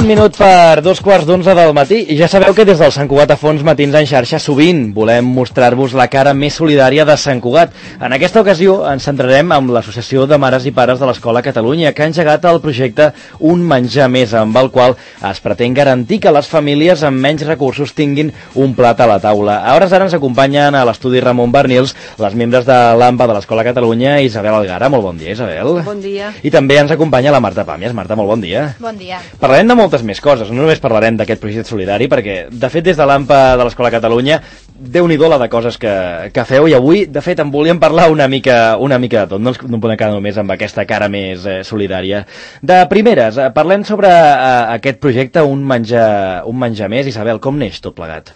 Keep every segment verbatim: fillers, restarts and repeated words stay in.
minut per dos quarts d'onze del matí i ja sabeu que des del Sant Cugat a Fons Matins en xarxa sovint volem mostrar-vos la cara més solidària de Sant Cugat. En aquesta ocasió ens centrarem amb l'Associació de Mares i Pares de l'Escola Catalunya, que ha engegat el projecte Un Menjar Més, amb el qual es pretén garantir que les famílies amb menys recursos tinguin un plat a la taula. A hores d'ara ens acompanyen a l'estudi Ramon Bernils les membres de l'AMPA de l'Escola Catalunya, Isabel Algara. Molt bon dia, Isabel. Bon dia. I també ens acompanya la Marta Pàmies. Marta, molt bon dia. Bon dia. Parlarem de moltes més coses, no només parlarem d'aquest projecte solidari, perquè, de fet, des de l'AMPA de l'Escola Catalunya, déu-n'hi-do la de coses que, que feu, i avui, de fet, en volíem parlar una mica, una mica de tot, no ens no podem quedar només amb aquesta cara més eh, solidària. De primeres, eh, parlem sobre eh, aquest projecte, un menjar, un menjar més. Isabel, com neix tot plegat?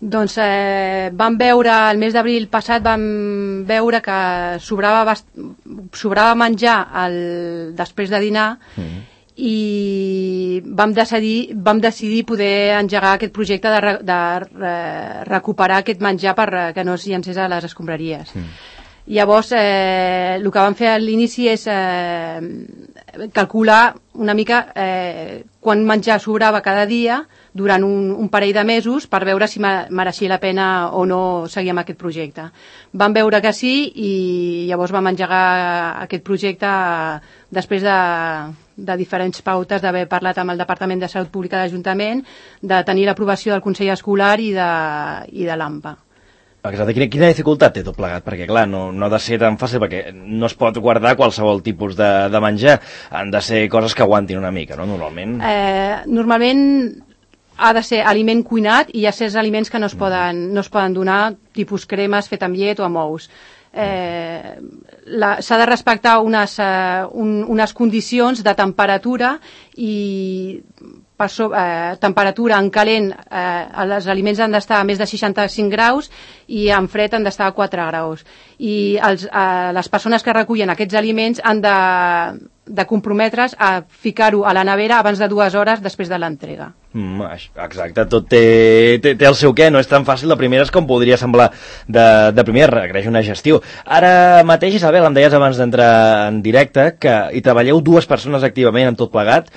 Doncs eh, vam veure, el mes d'abril passat, vam veure que sobrava, bast... sobrava menjar el... després de dinar, mm. i vam decidir, vam decidir poder engegar aquest projecte de, re... de re... recuperar aquest menjar per que no es llancés a les escombraries. Mm. Llavors, eh, el que vam fer a l'inici és eh, calcular una mica eh, quant menjar sobrava cada dia durant un, un parell de mesos per veure si mereixia la pena o no seguir amb aquest projecte. Vam veure que sí i llavors vam engegar aquest projecte després de, de diferents pautes, d'haver parlat amb el Departament de Salut Pública de l'Ajuntament, de tenir l'aprovació del Consell Escolar i de, i de l'AMPA. Exacte. Quina, quina dificultat té tot plegat? Perquè, clar, no, no ha de ser tan fàcil, perquè no es pot guardar qualsevol tipus de, de menjar. Han de ser coses que aguantin una mica, no?, normalment. Eh, normalment ha de ser aliment cuinat i hi ha certs aliments que no es poden, no es poden donar, tipus cremes fet amb llet o amb ous. Eh, s'ha de respectar unes, eh, un, unes condicions de temperatura i per so, eh, temperatura en calent, eh, els aliments han d'estar a més de seixanta-cinc graus i en fred han d'estar a quatre graus. I els, eh, les persones que recullen aquests aliments han de, de comprometre's a ficar-ho a la nevera abans de dues hores després de l'entrega. Mm, exacte, tot té, té, té el seu què, no és tan fàcil de primeres com podria semblar de, de primeres, requereix una gestió. Ara mateix, Isabel, em deies abans d'entrar en directe que hi treballeu dues persones activament en tot plegat,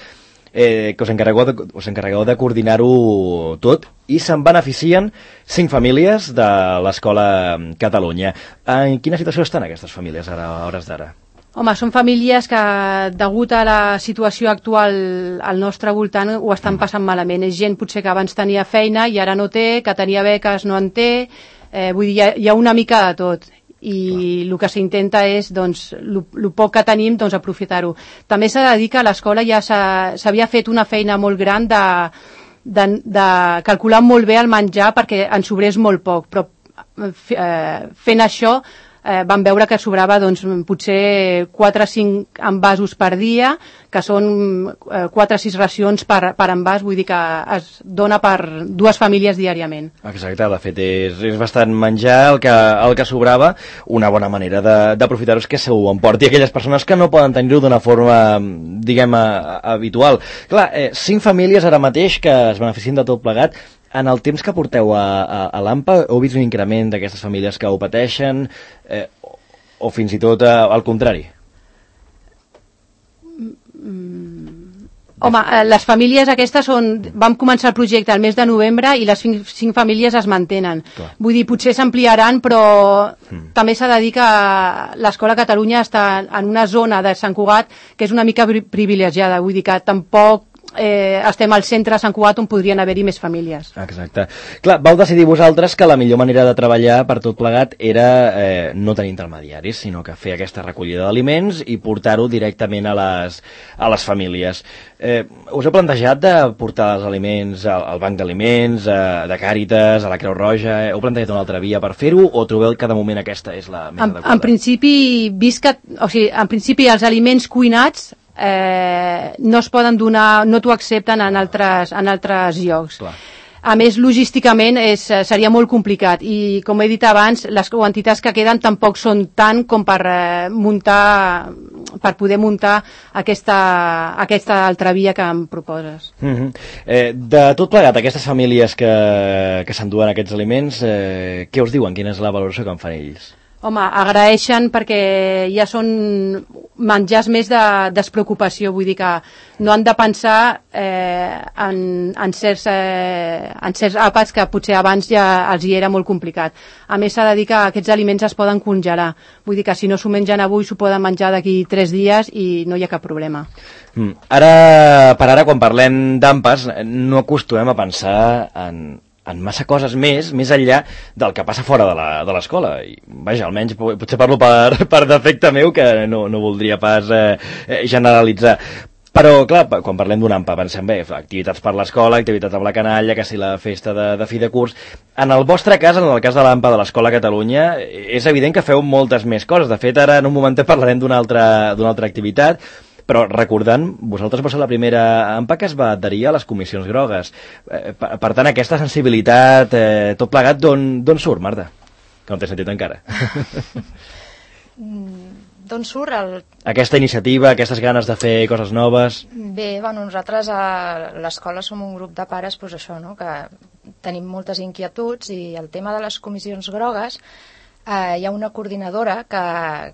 eh, que us encarregueu de, us encarregueu de coordinar-ho tot, i se'n beneficien cinc famílies de l'Escola Catalunya. En quina situació estan aquestes famílies ara, a hores d'ara? Home, són famílies que, degut a la situació actual al nostre voltant, ho estan passant malament. És gent potser que abans tenia feina i ara no té, que tenia beques no en té, eh, vull dir, hi ha, hi ha una mica de tot. I el que s'intenta és, doncs, el poc que tenim, doncs, aprofitar-ho. També s'ha de dir que a l'escola ja s'havia fet una feina molt gran de, de, de calcular molt bé el menjar perquè en sobrés molt poc, però eh, fent això eh, vam veure que sobrava doncs, potser quatre o cinc envasos per dia, que són eh, quatre o sis racions per, per envàs, vull dir que es dona per dues famílies diàriament. Exacte, de fet és, és bastant menjar el que, el que sobrava. Una bona manera d'aprofitar-ho és que s'ho emporti aquelles persones que no poden tenir-ho d'una forma, diguem, a, a, habitual. Clar, eh, cinc famílies ara mateix que es beneficien de tot plegat. En el temps que porteu a, a, a l'AMPA, heu vist un increment d'aquestes famílies que ho pateixen, eh, o, o fins i tot eh, al contrari? Mm. Home, les famílies aquestes són... Vam començar el projecte al mes de novembre i les cinc, cinc famílies es mantenen. Clar. Vull dir, potser s'ampliaran, però mm. també s'ha de dir que l'Escola Catalunya està en una zona de Sant Cugat que és una mica privilegiada. Vull dir que tampoc Eh, estem al centre de Sant Cugat on podrien haver-hi més famílies. Exacte. Clar, vau decidir vosaltres que la millor manera de treballar per tot plegat era eh, no tenir intermediaris, sinó que fer aquesta recollida d'aliments i portar-ho directament a les, a les famílies. Eh, us heu plantejat de portar els aliments al, al banc d'aliments, eh, de Càritas, a la Creu Roja? Heu plantejat una altra via per fer-ho o trobeu que de moment aquesta és la més en, adequada? En principi, vist que, o sigui, en principi els aliments cuinats Eh, no es poden donar, no t'ho accepten en altres, en altres llocs. Clar. A més, logísticament és, seria molt complicat i, com he dit abans, les quantitats que queden tampoc són tant com per eh, muntar, per poder muntar aquesta, aquesta altra via que em proposes. Mm-hmm. eh, de tot plegat, aquestes famílies que, que s'enduen aquests aliments, eh, què us diuen? Quina és la valoració que en fan ells? Home, agraeixen perquè ja són menjars més de despreocupació, vull dir que no han de pensar eh, en, en, certs, eh, en certs àpats que potser abans ja els hi era molt complicat. A més, s'ha de dir que aquests aliments es poden congelar, vull dir que si no s'ho mengen avui s'ho poden menjar d'aquí tres dies i no hi ha cap problema. Mm. Ara, per ara, quan parlem d'AMPAs, no acostumem a pensar en en massa coses més, més enllà del que passa fora de l'escola. I, vaja, almenys potser parlo per, per defecte meu, que no, no voldria pas eh, generalitzar. Però, clar, quan parlem d'un AMPA pensem bé, activitats per l'escola, activitats amb la canalla, que si la festa de, de fi de curs. En el vostre cas, en el cas de l'AMPA de l'Escola Catalunya, és evident que feu moltes més coses. De fet, ara en un momentet parlarem d'una altra, d'una altra activitat, però recordant, vosaltres vau ser la primera AMPA que es va adherir a les comissions grogues. Eh, per, per tant, aquesta sensibilitat, eh, tot plegat, d'on surt, Marta? Que no t'he sentit encara. D'on surt el... Aquesta iniciativa, aquestes ganes de fer coses noves? Bé, bueno, nosaltres a l'escola som un grup de pares, doncs això, no?, que tenim moltes inquietuds i el tema de les comissions grogues, eh, hi ha una coordinadora que,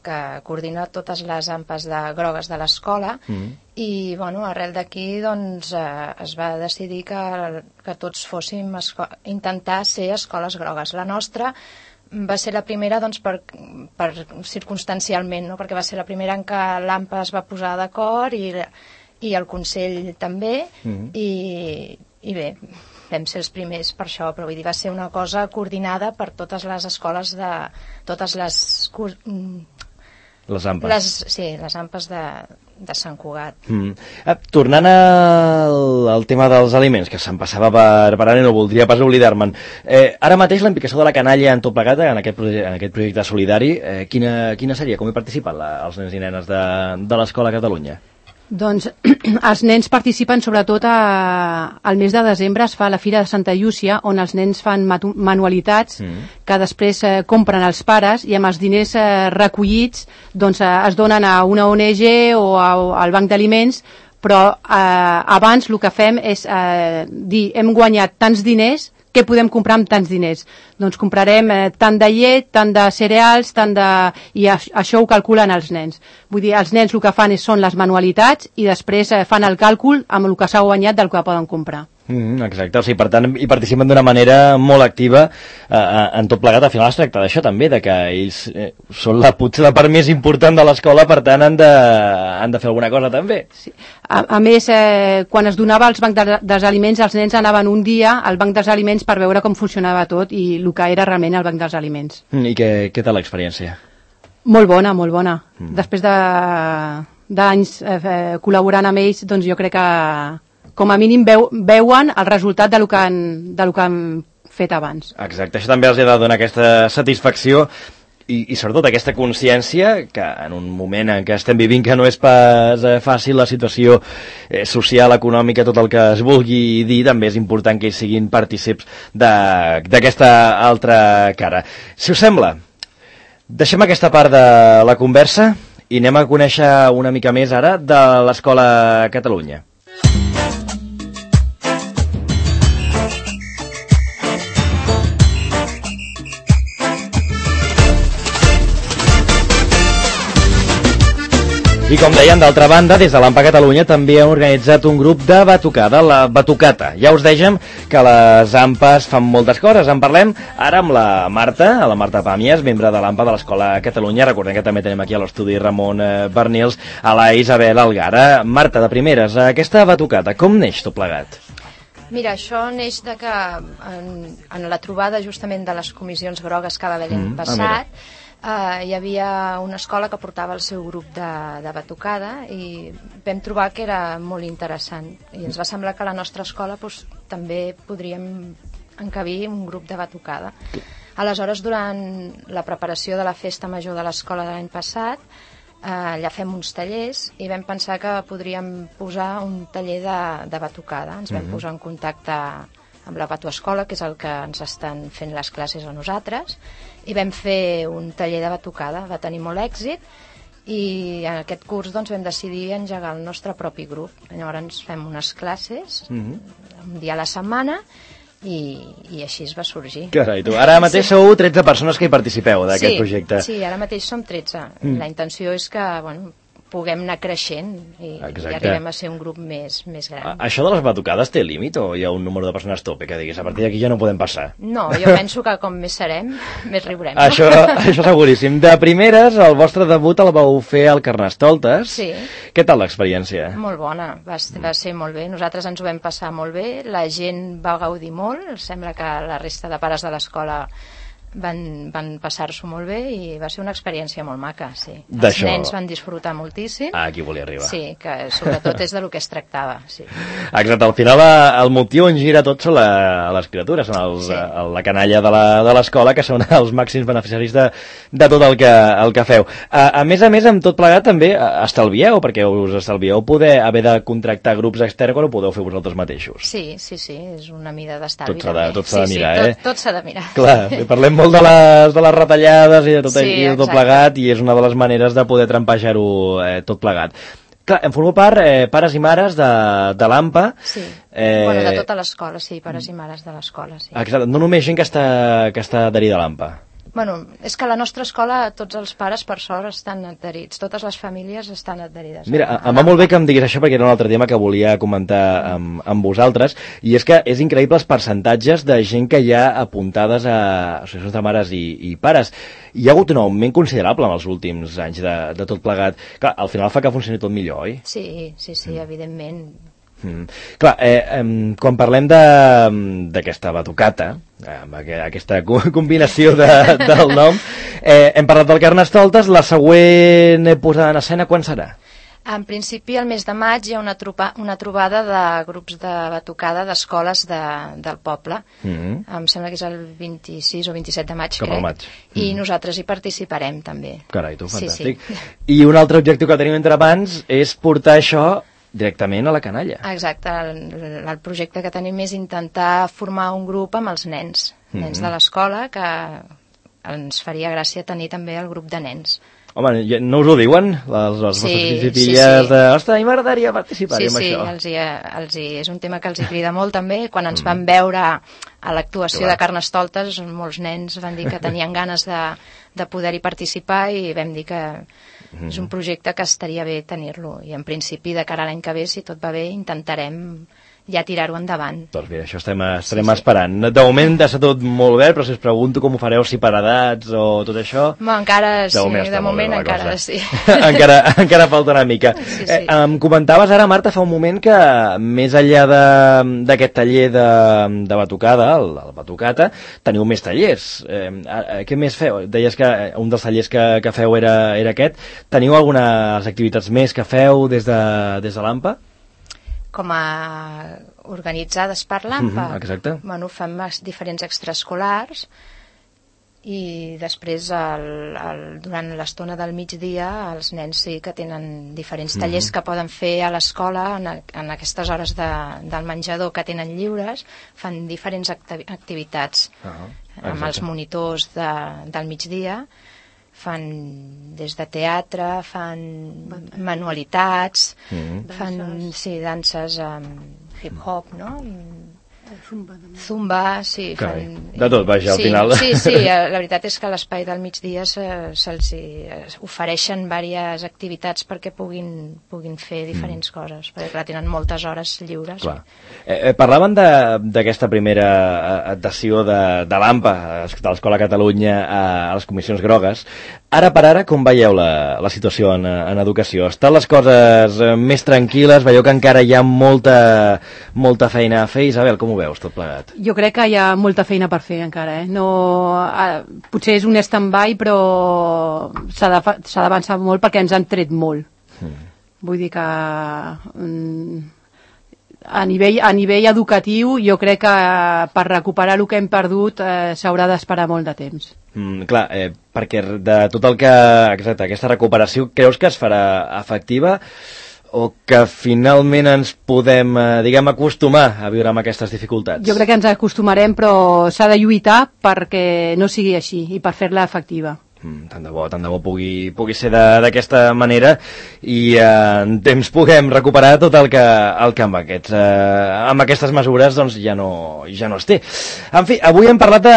que coordina totes les AMPAs de grogues de l'escola mm. i, bueno, arrel d'aquí, doncs, eh, es va decidir que, que tots fóssim intentar ser escoles grogues. La nostra va ser la primera, doncs, per, per circumstancialment, no?, perquè va ser la primera en què l'AMPA es va posar d'acord i, i el Consell també, mm. i, i bé, vam ser els primers per això, però vull dir, va ser una cosa coordinada per totes les escoles de... totes les... Les AMPAs. Les, sí, les AMPAs de, de Sant Cugat. Mm. Eh, tornant al, al tema dels aliments, que se'm passava per, per ara i no voldria pas oblidar-me'n. Eh, ara mateix la implicació de la canalla en tot plegat, en aquest, en aquest projecte solidari, eh, quina, quina seria? Com hi participen la, els nens i nenes de, de l'Escola Catalunya? Doncs els nens participen sobretot a, al mes de desembre es fa la Fira de Santa Llúcia, on els nens fan manualitats mm. que després eh, compren els pares i amb els diners eh, recollits doncs, eh, es donen a una O N G o a, al Banc d'Aliments, però eh, abans el que fem és eh, dir hem guanyat tants diners, què podem comprar amb tants diners? Doncs comprarem eh, tant de llet, tant de cereals, tant de... i això ho calculen els nens. Vull dir, els nens el que fan és, són les manualitats i després eh, fan el càlcul amb el que s'ha guanyat del que poden comprar. Mm, exacte, o sigui, per tant, hi participen d'una manera molt activa eh, en tot plegat. Al final es tracta d'això també, de que ells eh, són la, potser la part més important de l'escola, per tant han de, han de fer alguna cosa també. Sí. A, a més, eh, quan es donava als bancs de, dels aliments, els nens anaven un dia al banc dels aliments per veure com funcionava tot i el que era realment el banc dels aliments. Mm, I què, què tal l'experiència? Molt bona, molt bona. Mm. Després de, d'anys eh, col·laborant amb ells, doncs jo crec que com a mínim veu, veuen el resultat del que, han, del que han fet abans. Exacte, això també els ha de donar aquesta satisfacció i, i sobretot aquesta consciència que en un moment en què estem vivint que no és pas eh, fàcil la situació eh, social, econòmica, tot el que es vulgui dir, també és important que ells siguin partícips d'aquesta altra cara. Si us sembla, deixem aquesta part de la conversa i anem a conèixer una mica més ara de l'Escola Catalunya. I com deien, d'altra banda, des de l'AMPA Catalunya també han organitzat un grup de batucada, la Batucata. Ja us dèiem que les AMPAs fan moltes coses. En parlem ara amb la Marta, la Marta Pàmies, membre de l'AMPA de l'Escola Catalunya. Recordem que també tenim aquí a l'estudi Ramon Bernils, a la Isabel Algara. Marta, de primeres, aquesta Batucata, com neix tot plegat? Mira, això neix de que en, en la trobada justament de les comissions grogues que va haver l'any mm, passat, Uh, hi havia una escola que portava el seu grup de, de batucada i vam trobar que era molt interessant i ens va semblar que a la nostra escola pues, també podríem encabir un grup de batucada. Aleshores, durant la preparació de la festa major de l'escola de l'any passat, uh, allà fem uns tallers i vam pensar que podríem posar un taller de, de batucada. Ens vam mm-hmm. posar en contacte amb la Batuescola, que és el que ens estan fent les classes a nosaltres, i vam fer un taller de batucada. Va tenir molt èxit i en aquest curs doncs, vam decidir engegar el nostre propi grup. Llavors fem unes classes mm-hmm. un dia a la setmana i, i així es va sorgir. Carai, tu. Ara mateix sí. Sou tretze persones que hi participeu d'aquest sí, projecte. Sí, ara mateix som tretze. Mm. La intenció és que, bueno, puguem anar creixent i, i arribem a ser un grup més, més gran. A, això de les batucades té límit o hi ha un número de persones tope que diguis a partir d'aquí ja no podem passar? No, jo penso que com més serem, més riurem. No? Això, això seguríssim. De primeres, el vostre debut el vau fer al Carnestoltes. Sí. Què tal l'experiència? Molt bona, va, va ser molt bé. Nosaltres ens ho vam passar molt bé, la gent va gaudir molt, sembla que la resta de pares de l'escola van, van passar-s'ho molt bé i va ser una experiència molt maca, sí. Els nens van disfrutar moltíssim. Ah, aquí volia arribar. Sí, que sobretot és de lo que es tractava, sí. Exacte, al final el motiu on gira tot són la, les criatures, són els, sí. la canalla de l'escola, que són els màxims beneficiaris de, de tot el que, el que feu. A, a més a més, amb tot plegat també estalvieu, perquè us estalvieu poder haver de contractar grups externs quan ho podeu fer vosaltres mateixos. Sí, sí, sí, és una mida d'estalvi. Tot s'ha de, tot s'ha de mirar, sí, sí, eh? Tot, tot s'ha de mirar. Clar, parlem molt de les, de les retallades i de tot, sí, i de tot plegat, i és una de les maneres de poder trampejar-ho eh, tot plegat. Clar, em formo part eh, pares i mares de, de l'A M P A. Sí, eh... bueno, de tota l'escola, sí, pares i mares de l'escola, sí. Exacte, no només gent que està, que està adherida a l'A M P A. Bueno, és que a la nostra escola tots els pares, per sort, estan adherits. Totes les famílies estan adherides. Mira, em va molt bé que em diguis això perquè era un altre tema que volia comentar amb, amb vosaltres, i és que és increïble els percentatges de gent que hi ha apuntades a associacions de mares i, i pares. Hi ha hagut un augment considerable en els últims anys de, de tot plegat. Clar, al final fa que funcioni tot millor, oi? Sí, sí, sí, mm. evidentment. Mm. Clar, eh, eh, quan parlem d'aquesta batucata, amb aquesta combinació de, del nom, eh, hem parlat del Carnestoltes, la següent posada en escena quan serà? En principi, al mes de maig hi ha una, tropa, una trobada de grups de batucada d'escoles de, del poble. Mm-hmm. Em sembla que és el vint-i-sis o vint-i-set de maig, Cap crec. Maig. I mm. nosaltres hi participarem, també. Carai, tu, fantàstic. Sí, sí. I un altre objectiu que tenim entre mans és portar això directament a la canalla. Exacte, el, el projecte que tenim és intentar formar un grup amb els nens, nens mm-hmm. de l'escola, que ens faria gràcia tenir també el grup de nens. Home, no us ho diuen, les, les sí, vostres filles sí, sí. de... Ostres, a mi m'agradaria participar sí, en sí, això. Sí, sí, els hi, és un tema que els hi crida molt també. Quan ens mm. van veure a l'actuació de Carnestoltes, molts nens van dir que tenien ganes de, de poder-hi participar i vam dir que mm. és un projecte que estaria bé tenir-lo. I en principi, de cara a l'any que ve, si tot va bé, intentarem ja tirar-ho endavant. Doncs mira, això estem, estarem sí, sí. esperant. De moment està tot molt bé, però si us pregunto com ho fareu, si per edats o tot això... Bueno, encara sí, de moment, de moment encara sí. encara, encara falta una mica. Sí, sí. Eh, em comentaves ara, Marta, fa un moment que més enllà d'aquest taller de, de batucada, el, el batucata, teniu més tallers. Eh, què més feu? Deies que un dels tallers que, que feu era, era aquest. Teniu algunes activitats més que feu des de, des de l'A M P A? Com a organitzades per l'A M P A. Mm-hmm, exacte. Bueno, fem diferents extraescolars i després el, el, durant l'estona del migdia els nens sí que tenen diferents tallers mm-hmm. que poden fer a l'escola en, en aquestes hores de, del menjador que tenen lliures, fan diferents acti activitats uh-huh. amb els monitors de, del migdia. Fan des de teatre, fan manualitats, mm-hmm. fan sí, danses amb hip-hop, no? Zumba, Zumba, sí. Fan... De tot, vaja, al sí, final. Sí, sí, la veritat és que a l'espai del migdia se'ls se, se ofereixen diverses activitats perquè puguin, puguin fer diferents mm. coses, perquè clar, tenen moltes hores lliures. Clar. Eh, eh, parlaven d'aquesta primera adhesió de, de l'A M P A, de l'Escola Catalunya, a, a les comissions grogues. Ara per ara, com veieu la, la situació en, en educació? Estan les coses més tranquil·les? Veieu que encara hi ha molta, molta feina a fer? Isabel, com ho veus tot plegat? Jo crec que hi ha molta feina per fer encara. Eh? No, eh, potser és un stand-by, però s'ha d'avançar molt perquè ens han tret molt. Mm. Vull dir que mm, a, nivell, a nivell educatiu jo crec que per recuperar el que hem perdut eh, s'haurà d'esperar molt de temps. Mm, clar, eh, perquè de tot el que... Exacte, aquesta recuperació creus que es farà efectiva o que finalment ens podem, eh, diguem, acostumar a viure amb aquestes dificultats? Jo crec que ens acostumarem, però s'ha de lluitar perquè no sigui així i per fer-la efectiva. Mm, tant de bo, tant de bo pugui, pugui ser d'aquesta manera i eh, en temps puguem recuperar tot el que, el que amb, aquests, eh, amb aquestes mesures doncs, ja, no, ja no es té. En fi, avui hem parlat de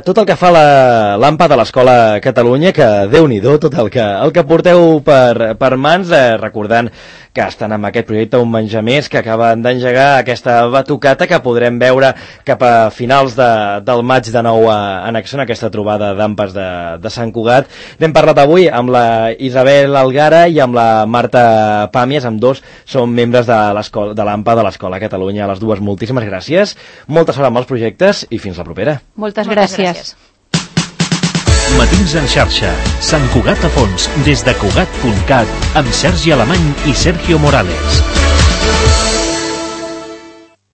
tot el que fa l'AMPA de l'Escola Catalunya, que Déu-n'hi-do tot el que, el que porteu per, per mans, eh, recordant que estan amb aquest projecte Un Menjar Més, que acaben d'engegar aquesta batucata que podrem veure cap a finals de, del maig de nou a, en acció, en aquesta trobada d'AMPAs de, de Sant Cugat. N'hem parlat avui amb la Isabel Algara i amb la Marta Pàmies, amb dos són membres de l'AMPA de l'Escola Catalunya. A les dues, moltíssimes gràcies, molta sort amb els projectes i fins la propera. Moltes, Moltes gràcies. gràcies. Matins en xarxa, Sant Cugat a fons, des de Cugat punt cat, amb Sergi Alemany i Sergio Morales.